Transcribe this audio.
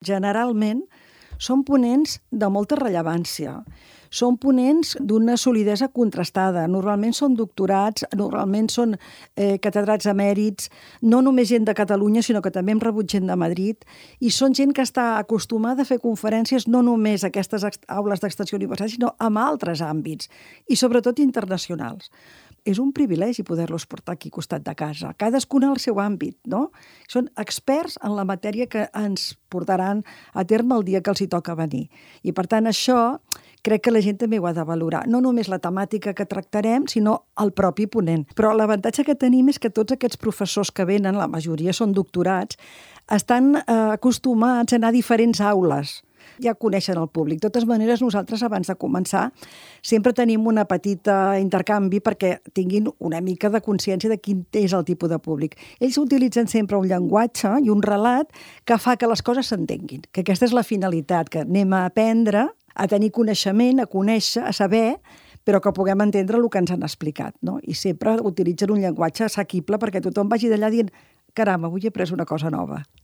Generalment són ponents de molta rellevància. Són ponents d'una solidesa contrastada. Normalment són doctorats, normalment són catedrats emèrits, no només gent de Catalunya, sinó que també hem rebut gent de Madrid, i són gent que està acostumada a fer conferències no només a aquestes aules d'extensió universitària, sinó en altres àmbits, i sobretot internacionals. És un privilegi poder-los portar aquí al costat de casa. Cadascun al seu àmbit, no? Són experts en la matèria que ens portaran a terme el dia que els hi toca venir. I, per tant, això crec que la gent també ho ha de valorar. No només la temàtica que tractarem, sinó el propi ponent. Però l'avantatge que tenim és que tots aquests professors que venen, la majoria són doctorats, estan acostumats a anar a diferents aules. Ja coneixen el públic. De totes maneres, nosaltres, abans de començar, sempre tenim una petita intercanvi perquè tinguin una mica de consciència de quin és el tipus de públic. Ells utilitzen sempre un llenguatge i un relat que fa que les coses s'entenguin, que aquesta és la finalitat, que anem a aprendre, a tenir coneixement, a conèixer, a saber, però que puguem entendre el que ens han explicat, no? I sempre utilitzen un llenguatge assequible perquè tothom vagi d'allà dient «Caram, avui he après una cosa nova».